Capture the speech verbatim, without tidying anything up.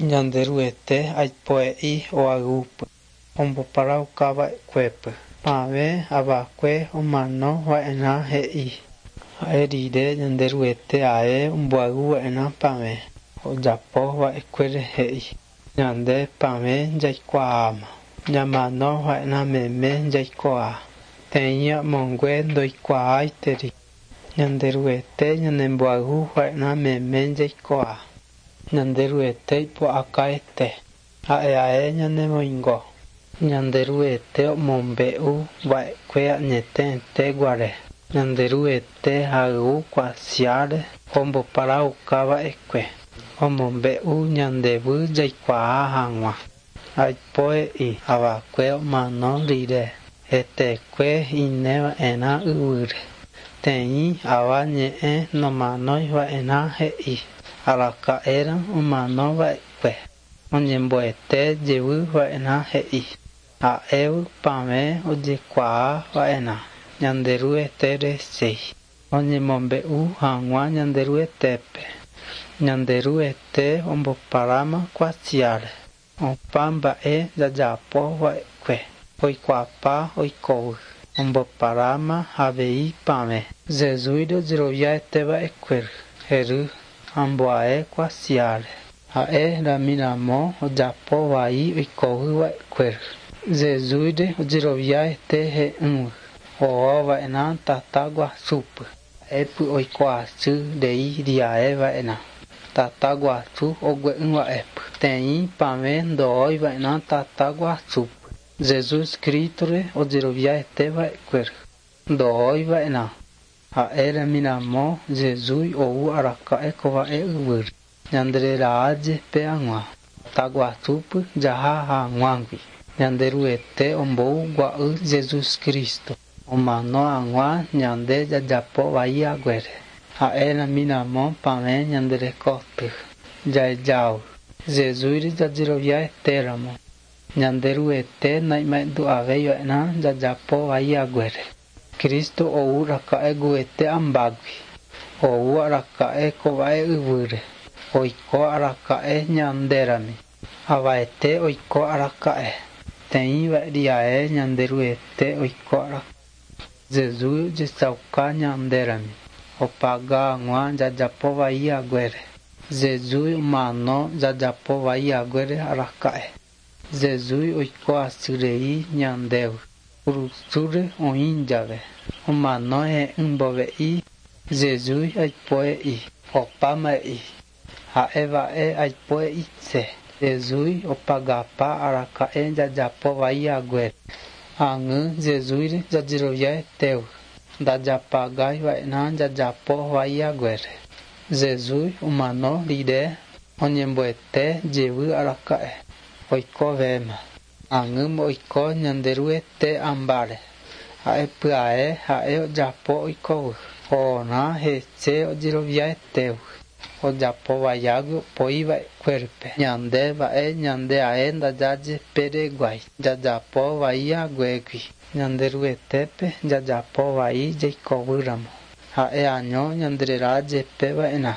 Ñanderuete aipoe'i oayvúpy omboparaukava'ekuépy. Pavẽ avakue omanova'erã he'i. Ha'e rire Ñanderuete ae omboayvuva'erã pavẽ ojapova'ekuére he'i. Ñande pavẽ jaikuaáma. Ñamanova'erã meme jaikuaa. Teĩ amongue ndoikuaáiteri. Ñanderuete ñanemboayvuva'erã meme jaikuaa. Ñanderuete ipu'akaete. Ha'e ae ñanemoingo. Ñanderuete omombe'uva'ekue añete guare. Ñanderuete hayvu kuatiáre omboparaukava'ekue. Omombe'u ñandéve jaikuaa hag̃ua. Aipoe'i avakue omano rire hetekue ineva'erã yvýre. Teĩ ava ñe'ẽ nomanoiva'erã he'i. Araka'érõ omanova'ekue oñemboete jevyva'erã he'i. Ha'évy pavẽ ojekuaava'erã Ñanderuete rechéi. Oñemombe'u hag̃ua Ñanderuetépe. Ñanderuete omboparáma kuatiáre. Opa mba'e jajapova'ekue oikuaapa oikóvy. Omboparáma avei pavẽ. Jesús ojeroviaeteva'ekue hery amboae kuatiáre. Ha'e ramiramo ojapo vai oikovy va'ekue. Jesús ojeroviaete he'ỹvy ohova'erã tata guasúpe. Ha'épy oikoasy rei riaeva'erã. Tata guasu ogue'ỹva'épy. Teĩ pavẽ ndohoiva'erã tata guasúpe. Jesús Cristo-re ojeroviaeteva'ekue ndohoiva'erã. Ha'e ramiramo Jesús ou araka'e kova'e yvýre. Ñandererajepe hag̃ua. Tata guasúpe jaha hag̃uágui. Ñanderuete ombou gua'y Jesús Cristo. Omano hag̃ua ñande jajapo vai haguére. Ha'e ramiramo pavẽ ñanderekoty. Jaejávy. Jesús jajeroviaetéramo. Ñanderuete naimaendu'avéiva'erã jajapo vai haguére. Cristo ou raka'e guete ambágui. Ou araka'e kova'e yvýre. Oiko araka'e ñandérami. Avaete oiko araka'e. Teĩva'eriae Ñanderuete oiko araka'e. Jesús ojechauka ñandérami. Opaga hag̃ua jajapo vai haguére. Jesús omano jajapo vai haguére araka'e. Jesús oiko asyrei ñandéve. Kurusúre oĩ jave. Omano he'ỹmbove'i. Jesús aipoe'i. Opáma'e'i. Ha'eva'e aipoe'ise. Jesús opagapa araka'e jajapo vai haguére. Ag̃y Jesús jajeroviaetévy. Ndajapagaiva'erã jajapo vai haguére. Jesús omano rire oñemboete jevy araka'e. Oikovéma. Ag̃ýma oiko Ñanderuete ambáre. Ha'e pya'e ha'e ojapo oikóvy. Ohorã hese ojeroviaetévy. Ojapo vaiágui opoiva'ekuépe. Ñande va'e ñande ae ndajajepereguái. Jajapo vai haguégui. Ñanderuetépe jajapo vai jaikovýramo. Ha'e año ñandererajepeva'erã.